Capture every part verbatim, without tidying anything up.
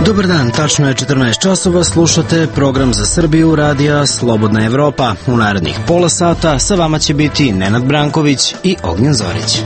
Dobar dan, tačno je četrnaest časova, slušate program za Srbiju radija Slobodna Evropa. U narednih pola sata sa vama će biti Nenad Branković i Ognjen Zorić.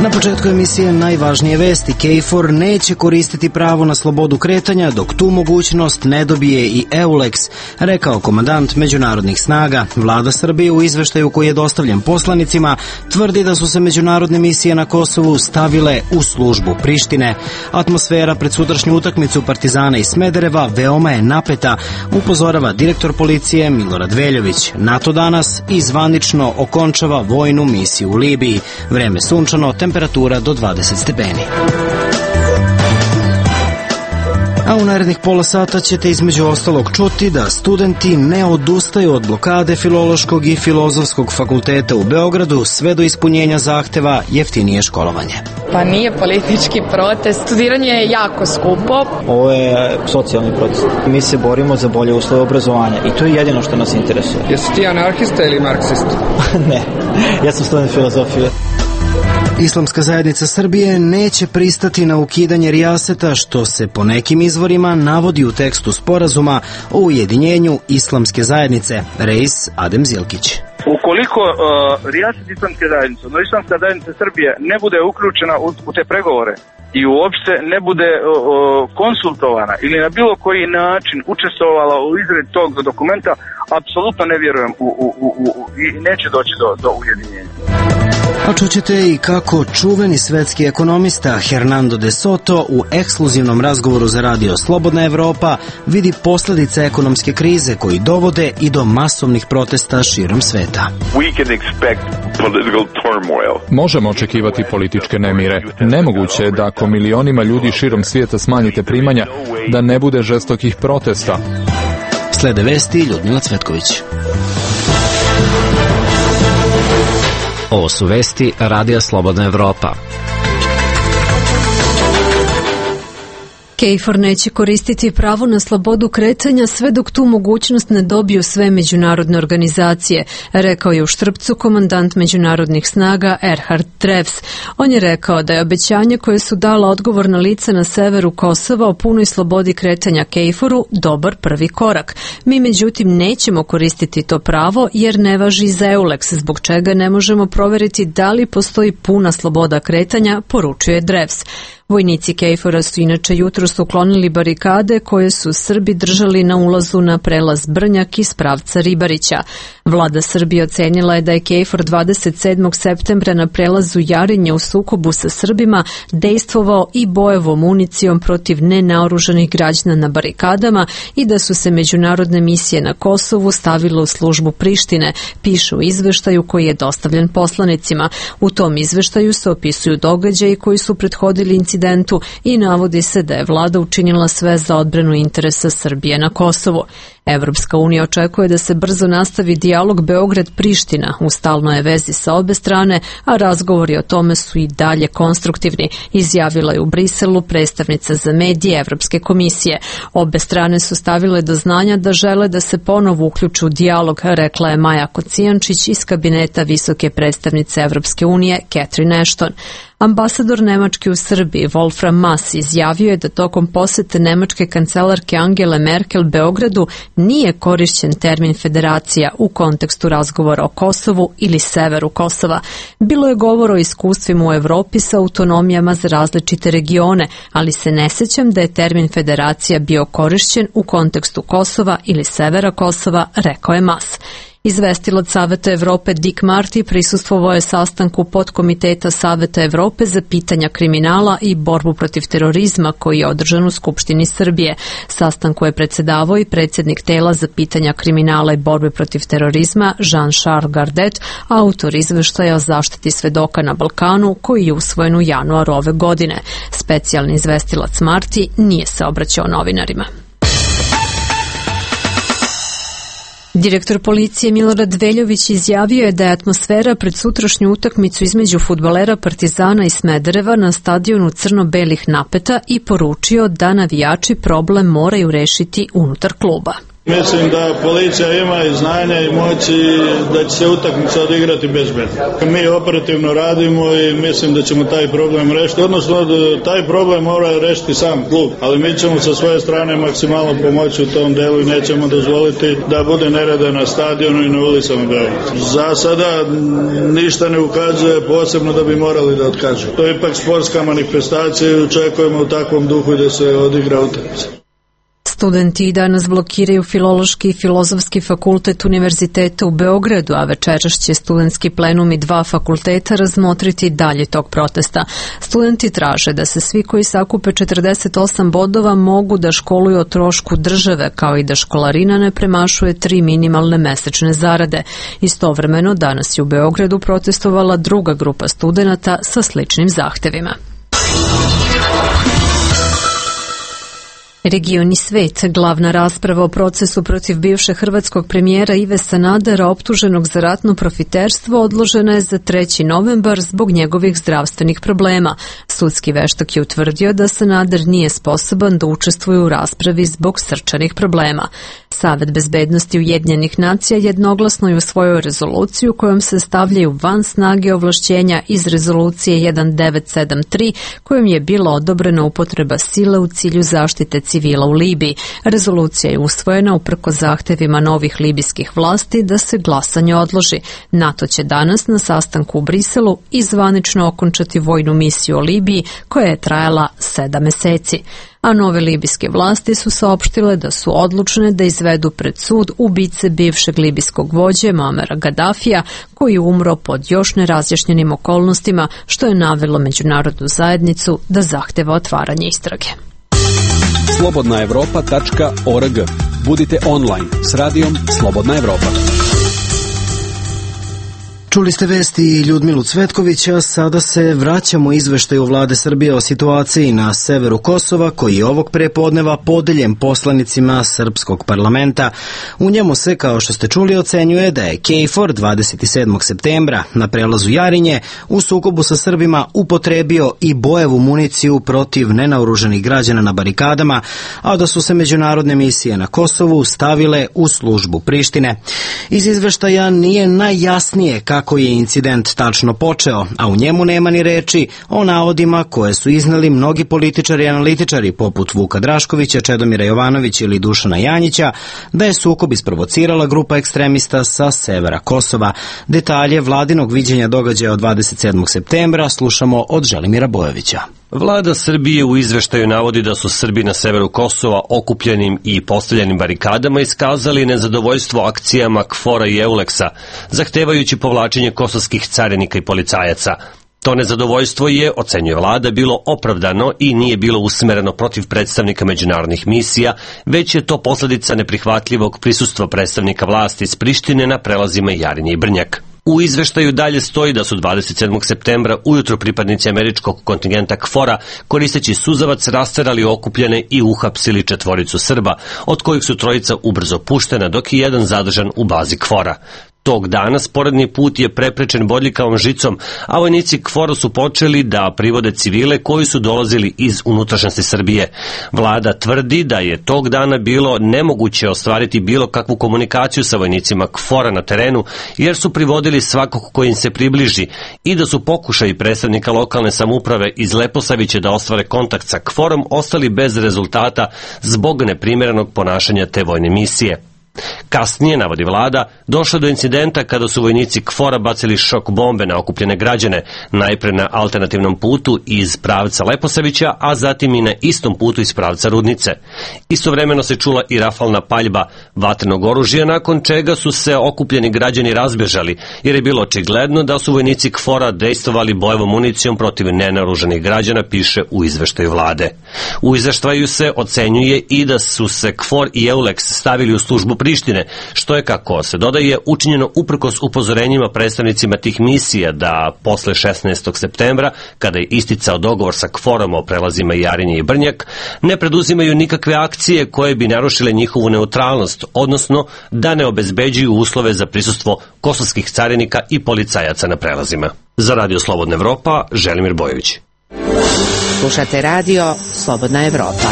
Na početku emisije najvažnije vesti. KFOR neće koristiti pravo na slobodu kretanja dok tu mogućnost ne dobije i EULEX, rekao komandant međunarodnih snaga. Vlada Srbije u izveštaju koji je dostavljen poslanicima tvrdi da su se međunarodne misije na Kosovu stavile u službu Prištine. Atmosfera pred sutrašnju utakmicu Partizana i Smedereva veoma je napeta, upozorava direktor policije Milorad Veljović. NATO danas i zvanično okončava vojnu misiju u Libiji. Vreme sunčano, temperatura do dvadeset stepeni. A u narednih pola sata ćete između ostalog čuti da studenti ne odustaju od blokade Filološkog i Filozofskog fakulteta u Beogradu sve do ispunjenja zahteva jeftinije školovanje. Pa nije politički protest, studiranje je jako skupo. Ovo je socijalni protest. Mi se borimo za bolje uslove obrazovanja i to je jedino što nas interesuje. Jesi ti anarhista ili marksist? Ne, ja sam student filozofije. Islamska zajednica Srbije neće pristati na ukidanje rijaseta, što se po nekim izvorima navodi u tekstu sporazuma o ujedinjenju Islamske zajednice. Reis Adem Zilkić. Ukoliko uh, rijaset Islamske zajednice, no Islamska zajednica Srbije ne bude uključena u, u te pregovore i uopšte ne bude uh, konsultovana ili na bilo koji način učestvovala u izradi tog dokumenta, apsolutno ne vjerujem u, u, u, u, i neće doći do, do ujedinjenja. A čućete i kako čuveni svetski ekonomista Hernando de Soto u ekskluzivnom razgovoru za radio Slobodna Evropa vidi posljedice ekonomske krize koji dovode i do masovnih protesta širom sveta. Možemo očekivati političke nemire. Nemoguće je da ako milionima ljudi širom svijeta smanjite primanja, da ne bude žestokih protesta. Slede vesti Ljudmila Cvetković. Ovo su vesti radija Slobodna Evropa. KFOR neće koristiti pravo na slobodu kretanja sve dok tu mogućnost ne dobiju sve međunarodne organizacije, rekao je u Štrpcu komandant međunarodnih snaga Erhard Drevs. On je rekao da je obećanje koje su dala odgovorna lica na severu Kosova o punoj slobodi kretanja KFOR-u dobar prvi korak. Mi međutim nećemo koristiti to pravo jer ne važi za EULEX, zbog čega ne možemo proveriti da li postoji puna sloboda kretanja, poručuje Drevs. Vojnici KFOR-a su inače jutros uklonili barikade koje su Srbi držali na ulazu na prelaz Brnjak iz pravca Ribarića. Vlada Srbije ocenila je da je KFOR dvadeset sedmog septembra na prelazu Jarinje u sukobu sa Srbima dejstvovao i bojevom municijom protiv nenaoružanih građana na barikadama i da su se međunarodne misije na Kosovu stavile u službu Prištine, piše u izveštaju koji je dostavljen poslanicima. U tom izveštaju se opisuju događaji koji su prethodili incidentu i navodi se da je vlada učinila sve za odbranu interesa Srbije na Kosovu. Evropska unija očekuje da se brzo nastavi dijalog Beograd-Priština, u stalnoj je vezi sa obe strane, a razgovori o tome su i dalje konstruktivni, izjavila je u Briselu predstavnica za medije Evropske komisije. Obe strane su stavile do znanja da žele da se ponovo uključu u dijalog, rekla je Maja Kocijančić iz kabineta visoke predstavnice Evropske unije Catherine Ashton. Ambasador Nemačke u Srbiji Wolfram Mass izjavio je da tokom posete nemačke kancelarke Angele Merkel Beogradu nije korišćen termin federacija u kontekstu razgovora o Kosovu ili severu Kosova. Bilo je govor o iskustvima u Evropi sa autonomijama za različite regione, ali se ne sjećam da je termin federacija bio korišćen u kontekstu Kosova ili severa Kosova, rekao je Mass. Izvestilac Saveta Evrope Dick Marty prisustvovao je sastanku podkomiteta Saveta Evrope za pitanja kriminala i borbu protiv terorizma koji je održan u Skupštini Srbije. Sastanku je predsjedavao i predsjednik tela za pitanja kriminala i borbe protiv terorizma Jean-Charles Gardet, autor izveštaja o zaštiti svedoka na Balkanu koji je usvojen u januaru ove godine. Specijalni izvestilac Marty nije se obraćao novinarima. Direktor policije Milorad Veljović izjavio je da je atmosfera pred sutrašnju utakmicu između fudbalera Partizana i Smedereva na stadionu crno-belih napeta i poručio da navijači problem moraju rešiti unutar kluba. Mislim da policija ima i znanja i moći da će se utakmica odigrati bezbedno. Mi operativno radimo i mislim da ćemo taj problem rešiti, odnosno da taj problem mora rešiti sam klub, ali mi ćemo sa svoje strane maksimalno pomoći u tom delu i nećemo dozvoliti da bude nereda na stadionu i na ulicama Beograda. Za sada ništa ne ukazuje posebno da bi morali da otkažu. To je ipak sportska manifestacija i očekujemo u takvom duhu da se odigra utakmica. Studenti danas blokiraju Filološki i Filozofski fakultet Univerziteta u Beogradu, a večeras će studentski plenum i dva fakulteta razmotriti dalje tog protesta. Studenti traže da se svi koji sakupe četrdeset osam bodova mogu da školuju o trošku države, kao i da školarina ne premašuje tri minimalne mesečne zarade. Istovremeno, danas je u Beogradu protestovala druga grupa studenata sa sličnim zahtevima. Region i svet, glavna rasprava o procesu protiv bivšeg hrvatskog premijera Ive Sanadera optuženog za ratno profiterstvo odložena je za treći novembar zbog njegovih zdravstvenih problema. Sudski veštak je utvrdio da Sanader nije sposoban da učestvuje u raspravi zbog srčanih problema. Savet bezbednosti Ujedinjenih nacija jednoglasno je usvojio rezoluciju kojom se stavljaju van snage ovlašćenja iz rezolucije jedan devet sedam tri kojom je bila odobrena upotreba sile u cilju zaštite civila u Libiji. Rezolucija je usvojena uprkos zahtevima novih libijskih vlasti da se glasanje odloži. NATO će danas na sastanku u Briselu i zvanično okončati vojnu misiju u Libiji koja je trajala sedam meseci. A nove libijske vlasti su saopštile da su odlučne da izvedu pred sud ubice bivšeg libijskog vođe Muamera Gadafija, koji je umro pod još nerazjašnjenim okolnostima, što je navelo međunarodnu zajednicu da zahteva otvaranje istrage. slobodna evropa tačka org. Budite online s radijom Slobodna Evropa. Čuli ste vesti Ljudmilu Cvetkovića, sada se vraćamo izveštaju Vlade Srbije o situaciji na severu Kosova, koji je ovog prepodneva podeljen poslanicima srpskog parlamenta. U njemu se, kao što ste čuli, ocenjuje da je KFOR dvadeset sedmog septembra na prelazu Jarinje u sukobu sa Srbima upotrebio i bojevu municiju protiv nenaoruženih građana na barikadama, a da su se međunarodne misije na Kosovu stavile u službu Prištine. Iz izveštaja nije najjasnije kako kako je incident tačno počeo, a u njemu nema ni reči o navodima koje su izneli mnogi političari i analitičari poput Vuka Draškovića, Čedomira Jovanovića ili Dušana Janjića, da je sukob isprovocirala grupa ekstremista sa severa Kosova. Detalje vladinog viđenja događaja od dvadeset sedmog septembra slušamo od Želimira Bojovića. Vlada Srbije u izveštaju navodi da su Srbi na severu Kosova okupljenim i postavljenim barikadama iskazali nezadovoljstvo akcijama KFOR-a i EULEX-a, zahtevajući povlačenje kosovskih carinika i policajaca. To nezadovoljstvo je, ocenjuje vlada, bilo opravdano i nije bilo usmereno protiv predstavnika međunarodnih misija, već je to posledica neprihvatljivog prisustva predstavnika vlasti iz Prištine na prelazima Jarinje i Brnjak. U izveštaju dalje stoji da su dvadeset sedmog septembra ujutro pripadnici američkog kontingenta KFOR-a koristeći suzavac rasterali okupljene i uhapsili četvoricu Srba, od kojih su trojica ubrzo puštena, dok je jedan zadržan u bazi KFOR-a. Tog dana sporedni put je preprečen bodljikavom žicom, a vojnici KFOR-a su počeli da privode civile koji su dolazili iz unutrašnjosti Srbije. Vlada tvrdi da je tog dana bilo nemoguće ostvariti bilo kakvu komunikaciju sa vojnicima KFOR-a na terenu, jer su privodili svakog ko im se približi i da su pokušaji predstavnika lokalne samouprave iz Leposavića da ostvare kontakt sa KFOR-om ostali bez rezultata zbog neprimjerenog ponašanja te vojne misije. Kasnije, navodi vlada, došlo do incidenta kada su vojnici KFOR-a bacili šok bombe na okupljene građane, najpre na alternativnom putu iz pravca Leposavića, a zatim i na istom putu iz pravca Rudnice. Istovremeno se čula i rafalna paljba vatrenog oružja, nakon čega su se okupljeni građani razbežali, jer je bilo očigledno da su vojnici KFOR-a dejstvovali bojevom municijom protiv nenaoruženih građana, piše u izveštaju vlade. U izveštaju se ocenjuje i da su se KFOR i EULEX stavili u službu Prištine, što je, kako se dodaje, učinjeno uprkos upozorenjima predstavnicima tih misija da posle šesnaestog septembra, kada je isticao dogovor sa KFOR-om o prelazima Jarinje i Brnjak, ne preduzimaju nikakve akcije koje bi narušile njihovu neutralnost, odnosno da ne obezbeđuju uslove za prisustvo kosovskih carinika i policajaca na prelazima. Za Radio Slobodna Evropa, Želimir Bojović. Slušate radio Slobodna Evropa.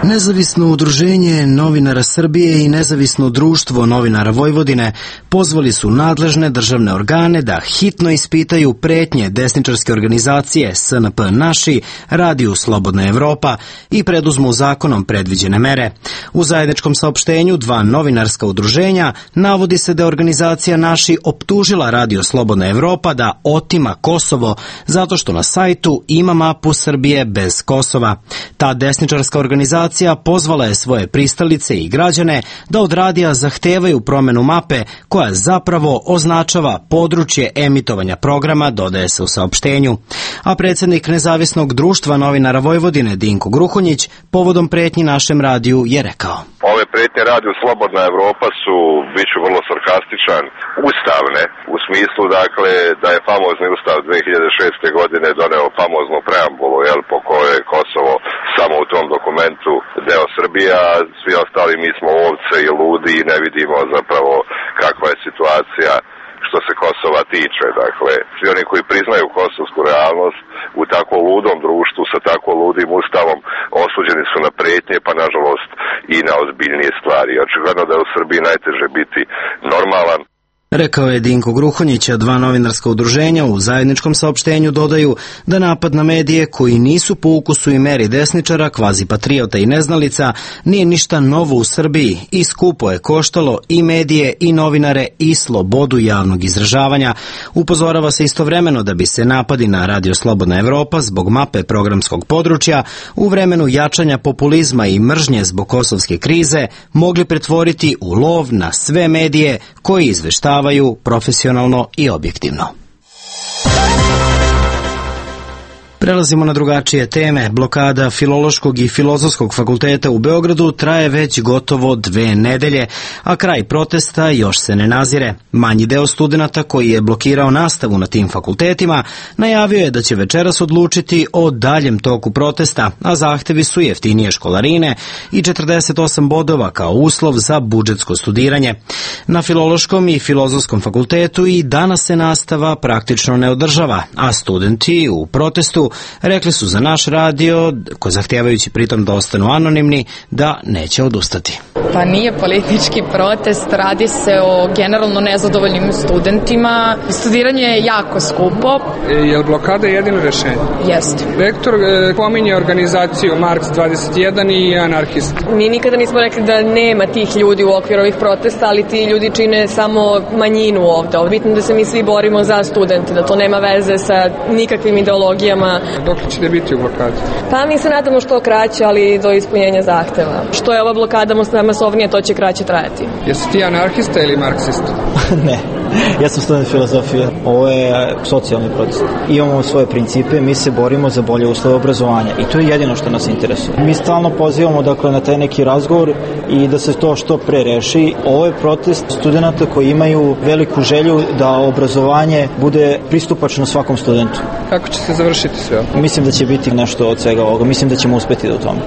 Nezavisno udruženje novinara Srbije i Nezavisno društvo novinara Vojvodine pozvali su nadležne državne organe da hitno ispitaju pretnje desničarske organizacije S N P Naši, Radiju Slobodna Evropa i preduzmu zakonom predviđene mere. U zajedničkom saopštenju dva novinarska udruženja navodi se da je organizacija Naši optužila Radio Slobodna Evropa da otima Kosovo zato što na sajtu ima mapu Srbije bez Kosova. Ta desničarska organizacija pozvala je svoje pristalice i građane da od radija zahtevaju promenu mape koja zapravo označava područje emitovanja programa, dodaje se u saopštenju. A predsjednik Nezavisnog društva novinara Vojvodine Dinko Gruhonjić povodom pretnji našem radiju je rekao: Ove pretnje Radiju Slobodna Evropa su, bit ću vrlo sarkastičan, ustavne, u smislu dakle da je famozni ustav dve hiljade šeste. godine doneo famoznu preambulu, jel, po kojoj je Kosovo samo u tom dokumentu deo Srbije, a svi ostali mi smo ovce i ludi i ne vidimo zapravo kakva je situacija što se Kosova tiče. Dakle, svi oni koji priznaju kosovsku realnost u tako ludom društvu sa tako ludim ustavom osuđeni su na pretnje, pa nažalost i na ozbiljnije stvari. Očigledno da je u Srbiji najteže biti normalan. Rekao je Dinko Gruhonjić, a dva novinarska udruženja u zajedničkom saopštenju dodaju da napad na medije koji nisu po ukusu i meri desničara, kvazi patriota i neznalica, nije ništa novo u Srbiji i skupo je koštalo i medije i novinare i slobodu javnog izražavanja. Upozorava se istovremeno da bi se napadi na Radio Slobodna Evropa zbog mape programskog područja u vremenu jačanja populizma i mržnje zbog kosovske krize mogli pretvoriti u lov na sve medije koji izveštavaju profesionalno i objektivno. Prelazimo na drugačije teme. Blokada Filološkog i Filozofskog fakulteta u Beogradu traje već gotovo dve nedelje, a kraj protesta još se ne nazire. Manji deo studenata koji je blokirao nastavu na tim fakultetima najavio je da će večeras odlučiti o daljem toku protesta, a zahtevi su jeftinije školarine i četrdeset osam bodova kao uslov za budžetsko studiranje. Na Filološkom i Filozofskom fakultetu i danas se nastava praktično ne održava, a studenti u protestu rekli su za naš radio, ko zahtevajući pritom da ostanu anonimni, da neće odustati. Pa nije politički protest, radi se o generalno nezadovoljnim studentima. Studiranje je jako skupo. E, je li blokada jedino rešenje? Jeste. Rektor e, pominje organizaciju Marks dvadeset jedan i anarhist. Mi nikada nismo rekli da nema tih ljudi u okviru ovih protesta, ali ti ljudi čine samo manjinu ovde. Bitno da se mi svi borimo za studente, da to nema veze sa nikakvim ideologijama. Dok ćete biti u blokadi? Pa mi se nadamo što kraće, ali do ispunjenja zahteva. Što je ova blokada masovnije, to će kraće trajati. Jesi ti anarhista ili marksista? Ne. Ja sam student filozofije. Ovo je socijalni protest. Imamo svoje principe, mi se borimo za bolje uslove obrazovanja i to je jedino što nas interesuje. Mi stalno pozivamo dakle, na taj neki razgovor i da se to što pre reši. Ovo je protest studenta koji imaju veliku želju da obrazovanje bude pristupačno svakom studentu. Kako će se završiti sve ovo? Mislim da će biti nešto od svega ovoga. Mislim da ćemo uspeti do tome.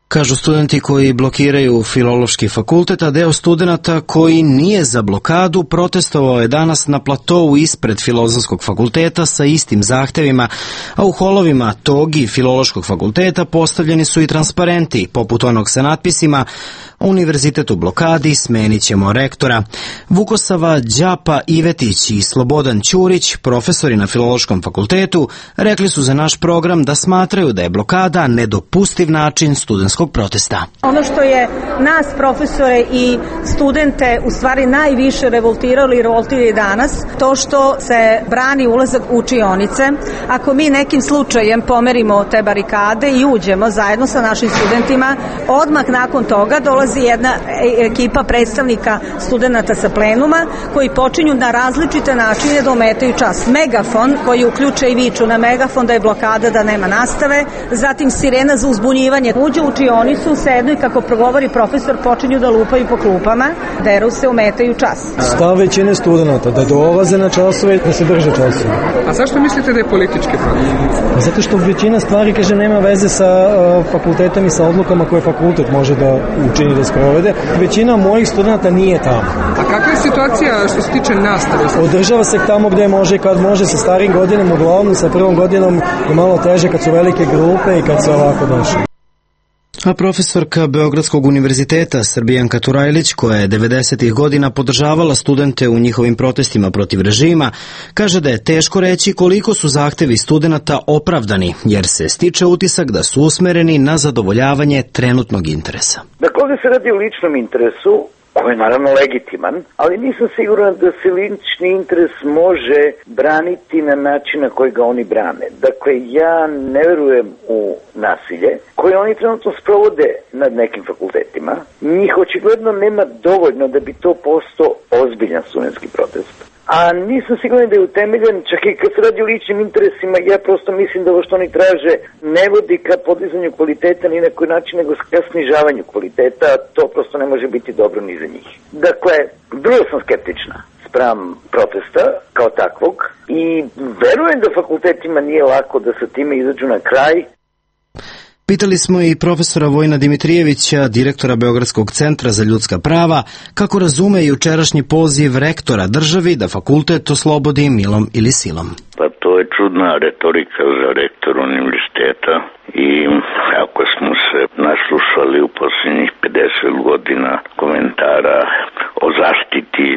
Kažu studenti koji blokiraju Filološki fakultet, a deo studenata koji nije za blokadu protestovao je danas na platovu ispred Filozofskog fakulteta sa istim zahtevima, a u holovima tog i Filološkog fakulteta postavljeni su i transparenti, poput onog sa natpisima Univerzitet u blokadi, smenit ćemo rektora. Vukosava Đapa Ivetić i Slobodan Ćurić, profesori na Filološkom fakultetu, rekli su za naš program da smatraju da je blokada nedopustiv način studentskog protesta. Ono što je nas, profesore i studente, u stvari najviše revoltiralo i revoltira danas, to što se brani ulazak u učionice. Ako mi nekim slučajem pomerimo te barikade i uđemo zajedno sa našim studentima, odmah nakon toga dolazi jedna ekipa predstavnika studenta sa plenuma koji počinju na različite načine da ometaju čas. Megafon koji uključe i viču na megafon da je blokada, da nema nastave, zatim sirena za uzbunjivanje. Uđe u učionicu, sednu i kako progovori profesor počinju da lupaju po klupama, deru se, ometaju čas. Stav većine studenta da dolaze na časove, da se drže časove. A zašto mislite da je politički protest? Zato što većina stvari, kaže, nema veze sa uh, fakultetom i sa odlukama koje fakultet može da učini da sprovede. Većina mojih studenta nije tamo. A kakva je situacija što se tiče nastave? Održava se tamo gde može i kad može, sa starim godinom, uglavnom sa prvom godinom je malo teže kad su velike grupe i kad se ovako došli. A profesorka Beogradskog univerziteta Srbijanka Turajlić, koja je devedesetih godina podržavala studente u njihovim protestima protiv režima, kaže da je teško reći koliko su zahtevi studenata opravdani, jer se stiče utisak da su usmereni na zadovoljavanje trenutnog interesa. Dakle, ovdje se radi o ličnom interesu, koji je naravno legitiman, ali nisam siguran da se lični interes može braniti na način na koji ga oni brane. Dakle, ja ne verujem u nasilje koje oni trenutno sprovode nad nekim fakultetima. Njih očigledno nema dovoljno da bi to postao ozbiljan studentski protest. A nisam siguran da je utemeljen, čak i kad se radi o ličnim interesima, ja prosto mislim da ovo što oni traže ne vodi ka podizanju kvaliteta ni na koji način, nego ka snižavanju kvaliteta, a to prosto ne može biti dobro ni za njih. Dakle, vrlo sam skeptična spram protesta kao takvog i verujem da fakultetima nije lako da sa time izađu na kraj. Pitali smo i profesora Vojna Dimitrijevića, direktora Beogradskog centra za ljudska prava, kako razume jučerašnji poziv rektora državi da fakultet oslobodi milom ili silom. Pa to je čudna retorika za rektor univerziteta i ako smo se naslušali u posljednjih pedeset godina komentara o zaštiti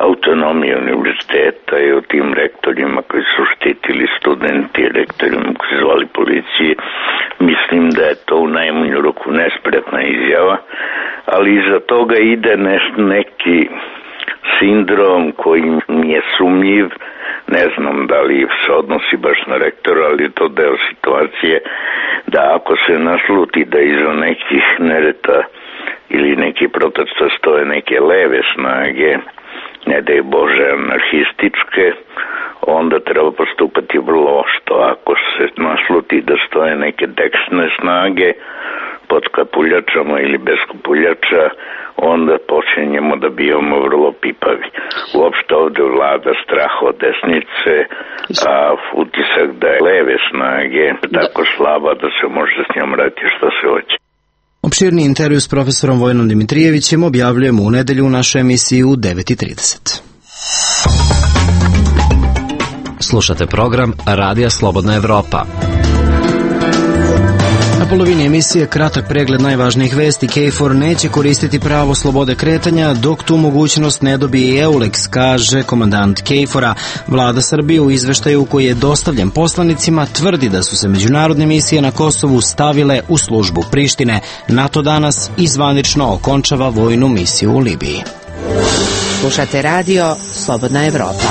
autonomije univerziteta i o tim rektorima koji su štitili studenti, rektorima koji su zvali policiji, mislim da je to u najmanju ruku nespretna izjava, ali iza toga ide neki sindrom koji mi je sumnjiv, ne znam da li se odnosi baš na rektora, ali je to deo situacije da ako se nasluti da iza nekih nereta ili neki protesta stoje neke leve snage, ne daj Bože anarhističke, onda treba postupati vrlo oštro. Ako se nasluti da stoje neke desne snage pod kapuljačama ili bez kapuljača, onda počinjemo da bivamo vrlo pipavi. Uopšte ovde vlada strah od desnice, a utisak da je leve snage tako slaba da se može s njom raditi što se hoće. Opširni intervju s profesorom Vojnom Dimitrijevićem objavljujemo u nedelju u našoj emisiji u devet i trideset. Slušate program Radija Slobodna Evropa. Na polovini emisije kratak pregled najvažnijih vesti. KFOR neće koristiti pravo slobode kretanja dok tu mogućnost ne dobije EULEX, kaže komandant KFOR-a. Vlada Srbije u izveštaju koji je dostavljen poslanicima tvrdi da su se međunarodne misije na Kosovu stavile u službu Prištine. NATO danas izvanično okončava vojnu misiju u Libiji. Slušate radio Slobodna Evropa.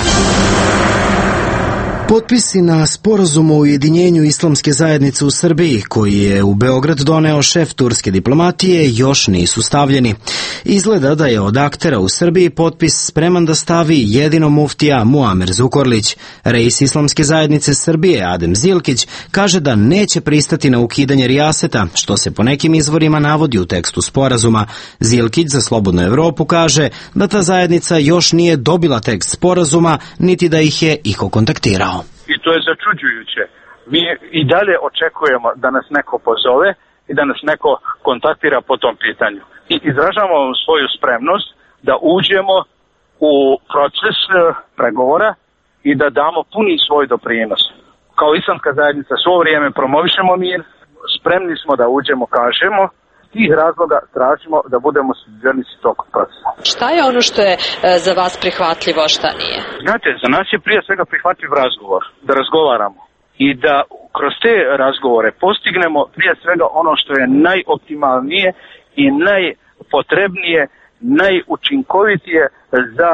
Potpisi na sporazum o ujedinjenju islamske zajednice u Srbiji, koji je u Beograd doneo šef turske diplomatije, još nisu stavljeni. Izgleda da je od aktera u Srbiji potpis spreman da stavi jedino muftija Muamer Zukorlić. Reis islamske zajednice Srbije, Adem Zilkić, kaže da neće pristati na ukidanje rijaseta, što se po nekim izvorima navodi u tekstu sporazuma. Zilkić za Slobodnu Evropu kaže da ta zajednica još nije dobila tekst sporazuma, niti da ih je iko kontaktirao. I to je začuđujuće. Mi i dalje očekujemo da nas neko pozove i da nas neko kontaktira po tom pitanju. I izražavamo svoju spremnost da uđemo u proces pregovora i da damo puni svoj doprinos. Kao islamska zajednica svo vrijeme promovišemo mir, spremni smo da uđemo, kažemo, tih razloga tražimo da budemo sudionici tog procesa. Šta je ono što je za vas prihvatljivo, a šta nije? Znate, za nas je prije svega prihvatljiv razgovor, da razgovaramo i da kroz te razgovore postignemo prije svega ono što je najoptimalnije i najpotrebnije, najučinkovitije za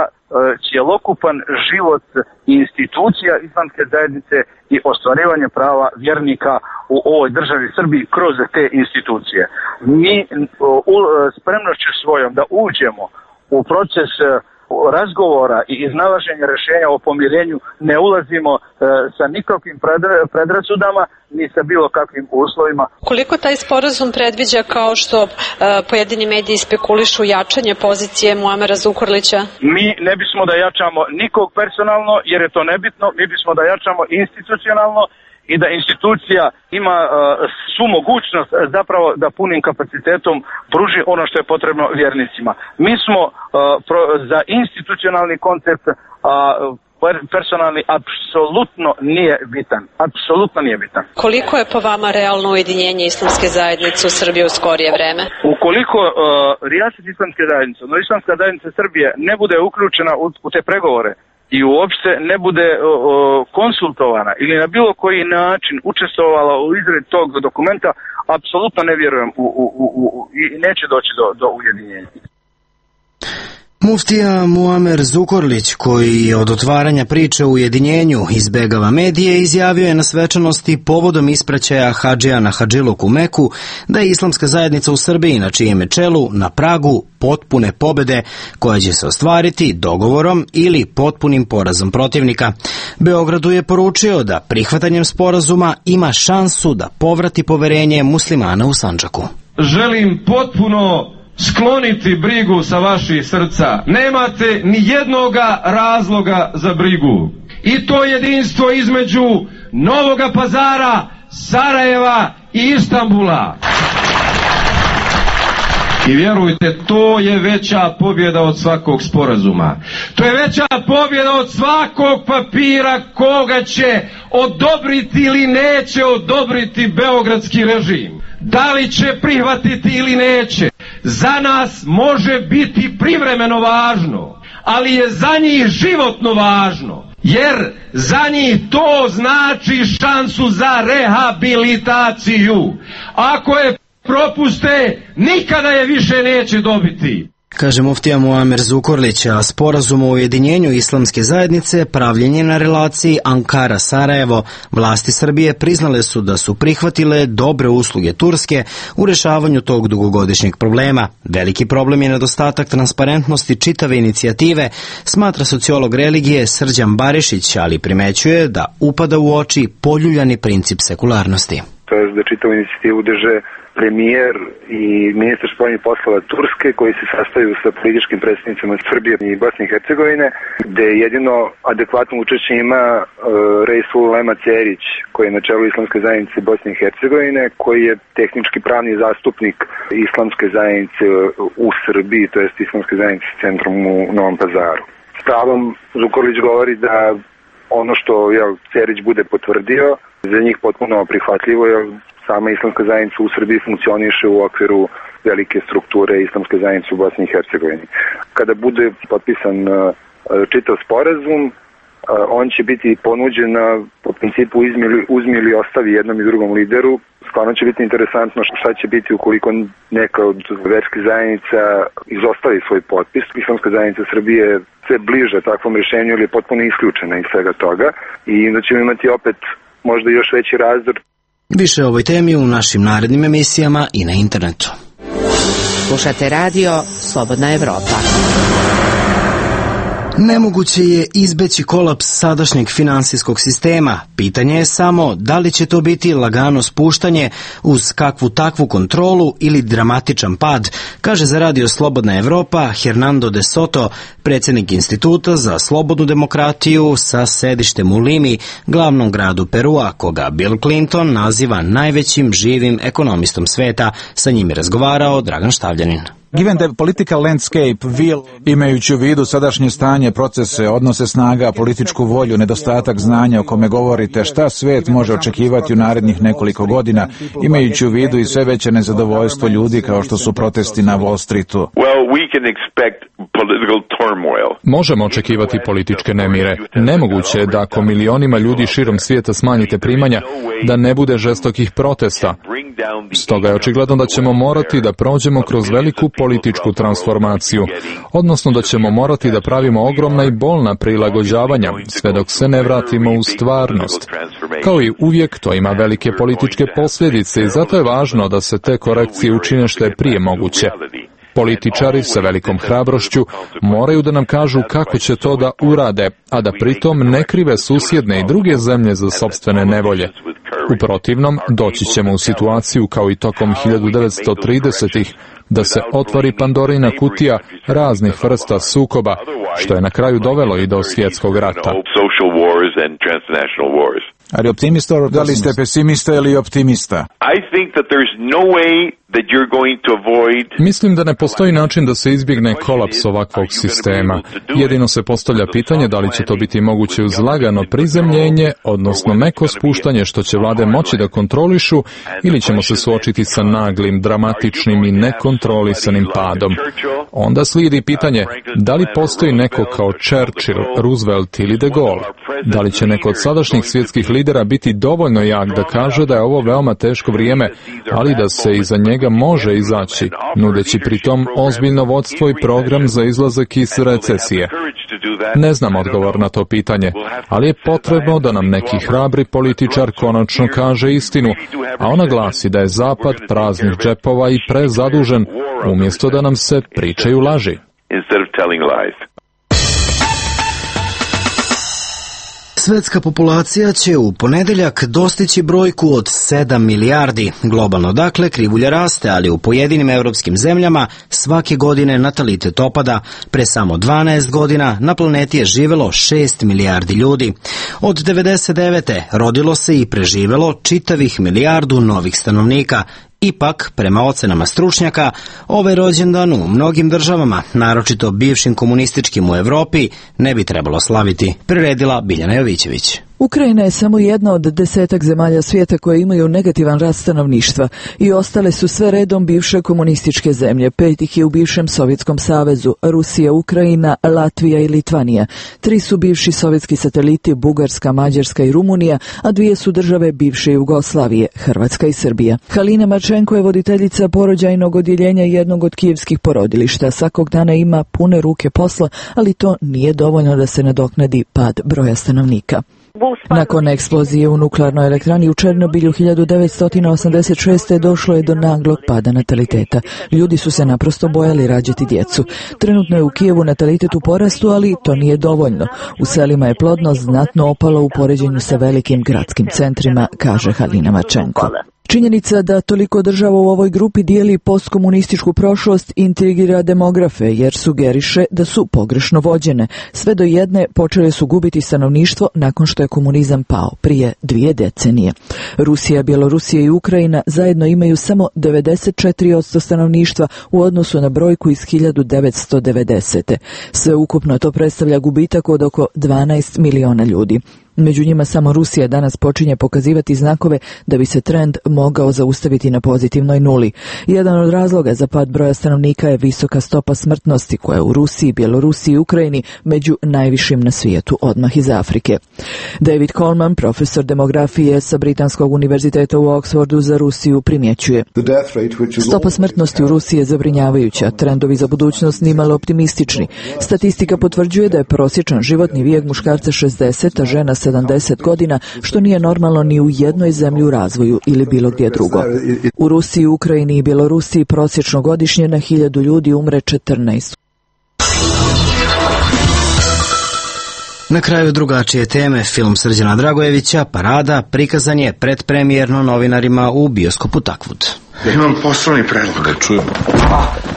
cjelokupan život institucija islamske zajednice i ostvarivanje prava vjernika u ovoj državi Srbiji kroz te institucije. Mi spremnošću svojom da uđemo u proces razgovora i iznalaženja rješenja o pomirenju ne ulazimo e, sa nikakvim predrasudama ni sa bilo kakvim uslovima. Koliko taj sporazum predviđa, kao što e, pojedini mediji spekulišu, jačanje pozicije Muamera Zukorlića? Mi ne bismo da jačamo nikog personalno jer je to nebitno, mi bismo da jačamo institucionalno i da institucija ima uh, svu mogućnost zapravo da punim kapacitetom pruži ono što je potrebno vjernicima. Mi smo uh, pro, za institucionalni koncept, a uh, personalni apsolutno nije bitan. Apsolutno nije bitan. Koliko je po vama realno ujedinjenje islamske zajednice u Srbiji u skorije vreme? Ukoliko uh, rijaset islamske zajednice, no islamska zajednica Srbije ne bude uključena u, u te pregovore i uopšte ne bude uh, konsultovana ili na bilo koji način učestvovala u izradi tog dokumenta, apsolutno ne vjerujem u, u, u, u, i neće doći do, do ujedinjenja. Muftija Muamer Zukorlić, koji je od otvaranja priče o ujedinjenju izbegava medije, izjavio je na svečanosti povodom ispraćaja hadžija na hadžiluk u Meku da je islamska zajednica u Srbiji na čijem je čelu na pragu potpune pobede koja će se ostvariti dogovorom ili potpunim porazom protivnika. Beogradu je poručio da prihvatanjem sporazuma ima šansu da povrati poverenje muslimana u Sandžaku. Želim potpuno skloniti brigu sa vaših srca. Nemate ni jednoga razloga za brigu. I to jedinstvo između Novoga Pazara, Sarajeva i Istanbula. I vjerujte, to je veća pobjeda od svakog sporazuma. To je veća pobjeda od svakog papira koga će odobriti ili neće odobriti beogradski režim. Da li će prihvatiti ili neće, za nas može biti privremeno važno, ali je za njih životno važno, jer za njih to znači šansu za rehabilitaciju. Ako je propuste, nikada je više neće dobiti. Kaže muftija Muamer Zukorlić, a sporazum o ujedinjenju islamske zajednice pravljen je na relaciji Ankara-Sarajevo. Vlasti Srbije priznale su da su prihvatile dobre usluge Turske u rešavanju tog dugogodišnjeg problema. Veliki problem je nedostatak transparentnosti čitave inicijative, smatra sociolog religije Srđan Barišić, ali primećuje da upada u oči poljuljani princip sekularnosti. To je da čitavu inicijativu drže premijer i ministar spoljnih poslova Turske, koji se sastaju sa političkim predstavnicima Srbije i Bosne i Hercegovine, gde jedino adekvatno učešće ima uh, Reisul Ulema Cerić, koji je na čelu islamske zajednice Bosne i Hercegovine, koji je tehnički pravni zastupnik islamske zajednice u Srbiji, to jest islamske zajednice s centrom u Novom Pazaru. S pravom Zukorlić govori da ono što jel, Cerić bude potvrdio, za njih potpuno prihvatljivo, jer sama islamska zajednica u Srbiji funkcioniše u okviru velike strukture islamske zajednice u Bosni i Hercegovini. Kada bude potpisan čitav sporazum, on će biti ponuđen po principu uzmi ili ostavi jednom i drugom lideru. Stvarno će biti interesantno šta će biti ukoliko neka od verskih zajednica izostavi svoj potpis. Islamska zajednica Srbije je sve bliže takvom rješenju ili je potpuno isključena iz svega toga i da ćemo imati opet možda još veći razdor. Više o ovoj temi u našim narednim emisijama i na internetu. Slušate radio Slobodna Evropa. Nemoguće je izbeći kolaps sadašnjeg finansijskog sistema. Pitanje je samo da li će to biti lagano spuštanje uz kakvu takvu kontrolu ili dramatičan pad, kaže za radio Slobodna Evropa Hernando de Soto, predsjednik Instituta za slobodnu demokratiju sa sedištem u Limi, glavnom gradu Perua, koga Bill Clinton naziva najvećim živim ekonomistom sveta. Sa njim je razgovarao Dragan Štavljanin. Given the political landscape will... Imajući u vidu sadašnje stanje, procese, odnose snaga, političku volju, nedostatak znanja o kome govorite, šta svet može očekivati u narednih nekoliko godina, imajući u vidu i sve veće nezadovoljstvo ljudi kao što su protesti na Wall Streetu? Well, we can expect political turmoil. Možemo očekivati političke nemire. Nemoguće je da ako milionima ljudi širom svijeta smanjite primanja, da ne bude žestokih protesta. Stoga je očigledno da ćemo morati da prođemo kroz veliku političku transformaciju, odnosno da ćemo morati da pravimo ogromna i bolna prilagođavanja, sve dok se ne vratimo u stvarnost. Kao i uvijek, to ima velike političke posljedice i zato je važno da se te korekcije učine što je prije moguće. Političari sa velikom hrabrošću moraju da nam kažu kako će to da urade, a da pritom ne krive susjedne i druge zemlje za sopstvene nevolje. U protivnom, doći ćemo u situaciju kao i tokom hiljadu devetsto tridesetih da se otvori Pandorina kutija raznih vrsta sukoba, što je na kraju dovelo i do svjetskog rata. Ali optimista, da li ste pesimista ili optimista? I think that there's no way Mislim da ne postoji način da se izbjegne kolaps ovakvog sistema. Jedino se postavlja pitanje da li će to biti moguće uz lagano prizemljenje, odnosno meko spuštanje što će vlade moći da kontrolišu, ili ćemo se suočiti sa naglim, dramatičnim i nekontrolisanim padom. Onda slijedi pitanje da li postoji neko kao Churchill, Roosevelt ili de Gaulle. Da li će neko od sadašnjih svjetskih lidera biti dovoljno jak da kaže da je ovo veoma teško vrijeme, ali da se iza njega može izaći, nudeći pritom ozbiljno vodstvo i program za izlazak iz recesije. Ne znam odgovor na to pitanje, ali je potrebno da nam neki hrabri političar konačno kaže istinu, a ona glasi da je Zapad praznih džepova i prezadužen, umjesto da nam se pričaju laži. Svetska populacija će u ponedeljak dostići brojku od sedam milijardi. Globalno dakle krivulja raste, ali u pojedinim europskim zemljama svake godine natalitet opada. Pre samo dvanaest godina na planeti je živelo šest milijardi ljudi. Od devedeset devete rodilo se i preživelo čitavih milijardu novih stanovnika. Ipak, prema ocenama stručnjaka, ovaj rođendan u mnogim državama, naročito bivšim komunističkim u Evropi, ne bi trebalo slaviti, priredila Biljana Jovićević. Ukrajina je samo jedna od desetak zemalja svijeta koje imaju negativan rast stanovništva i ostale su sve redom bivše komunističke zemlje. Pet ih je u bivšem Sovjetskom savezu, Rusija, Ukrajina, Latvija i Litvanija. Tri su bivši sovjetski sateliti, Bugarska, Mađarska i Rumunija, a dvije su države bivše Jugoslavije, Hrvatska i Srbija. Halina Marčenko je voditeljica porođajnog odjeljenja jednog od kijevskih porodilišta. Svakog dana ima pune ruke posla, ali to nije dovoljno da se nadoknadi pad broja stanovnika. Nakon eksplozije u nuklearnoj elektrani u Černobilju hiljadu devetsto osamdeset šeste. došlo je do naglog pada nataliteta. Ljudi su se naprosto bojali rađati djecu. Trenutno je u Kijevu natalitet u porastu, ali to nije dovoljno. U selima je plodnost znatno opala u poređenju sa velikim gradskim centrima, kaže Halina Marčenko. Činjenica da toliko država u ovoj grupi dijeli postkomunističku prošlost intrigira demografe, jer sugeriše da su pogrešno vođene. Sve do jedne počele su gubiti stanovništvo nakon što je komunizam pao prije dvije decenije. Rusija, Bjelorusija i Ukrajina zajedno imaju samo devedeset četiri posto stanovništva u odnosu na brojku iz hiljadu devetsto devedesete. Sve ukupno to predstavlja gubitak od oko dvanaest miliona ljudi. Među njima samo Rusija danas počinje pokazivati znakove da bi se trend mogao zaustaviti na pozitivnoj nuli. Jedan od razloga za pad broja stanovnika je visoka stopa smrtnosti koja je u Rusiji, Bjelorusiji i Ukrajini među najvišim na svijetu, odmah iz Afrike. David Coleman, profesor demografije sa Britanskog univerziteta u Oxfordu za Rusiju, primjećuje: stopa smrtnosti u Rusiji je zabrinjavajuća, trendovi za budućnost nimalo optimistični. Statistika potvrđuje da je prosječan životni vijek muškarca šezdeset, a žena sedamdeset godina, što nije normalno ni u jednoj zemlji u razvoju ili bilo gdje drugo. U Rusiji, Ukrajini i Bjelorusiji prosječno godišnje na hiljadu ljudi umre četrnaest. Na kraju drugačije teme, film Srđana Dragojevića Parada prikazan je predpremijerno novinarima u bioskopu Takvud. Imam poslovni predlog. Da čujem.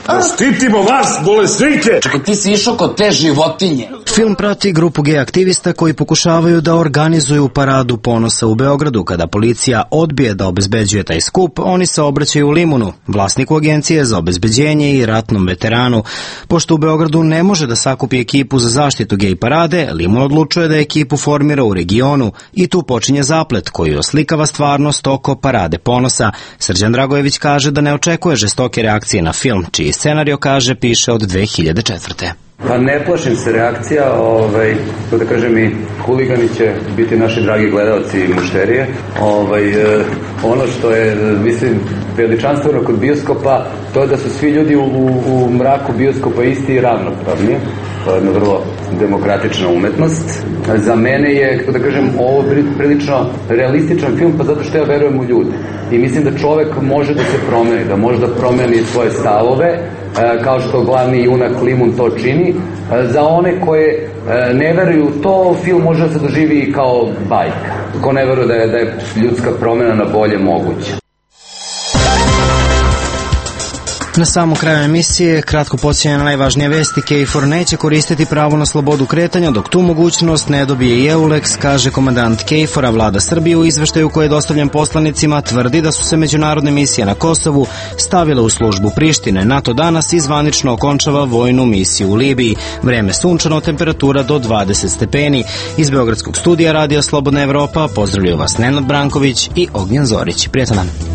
Da štitimo vas, bolesnike! Čekaj, ti si išao kod te životinje. Film prati grupu gej aktivista koji pokušavaju da organizuju paradu ponosa u Beogradu. Kada policija odbije da obezbeđuje taj skup, oni se obraćaju Limunu, vlasniku agencije za obezbeđenje i ratnom veteranu. Pošto u Beogradu ne može da sakupi ekipu za zaštitu gej parade, Limun odlučuje da ekipu formira u regionu i tu počinje zaplet koji oslikava stvarnost oko parade ponosa. Srđan Dragojević kaže da ne očekuje žestoke reakcije na film, čiji scenario, kaže, piše od dve hiljade četvrte. Pa ne plašim se reakcija, ovaj, to da kažem i huligani će biti naši dragi gledalci i mušterije. Ovaj, eh, ono što je, mislim, veličanstveno kod bioskopa, to je da su svi ljudi u, u, u mraku bioskopa isti i ravnopravni. To je jedna vrlo demokratična umetnost. Za mene je, to da kažem, ovo prilično realističan film, pa zato što ja verujem u ljude. I mislim da čovek može da se promeni, da može da promeni svoje stavove, kao što glavni junak Limun to čini. Za one koje ne veruju u to, film može da se doživi kao bajka. Ko ne veruje da je, da je ljudska promjena na bolje moguća. Na samom kraju emisije, kratko podsjećanje na najvažnije vesti. KFOR neće koristiti pravo na slobodu kretanja dok tu mogućnost ne dobije i EULEX, kaže komandant KFOR-a. Vlada Srbije u izveštaju koji je dostavljen poslanicima tvrdi da su se međunarodne misije na Kosovu stavile u službu Prištine. NATO danas izvanično okončava vojnu misiju u Libiji. Vreme sunčano, temperatura do dvadeset stepeni. Iz Beogradskog studija Radija Slobodna Evropa pozdravljaju vas Nenad Branković i Ognjen Zorić. Prijatan dan.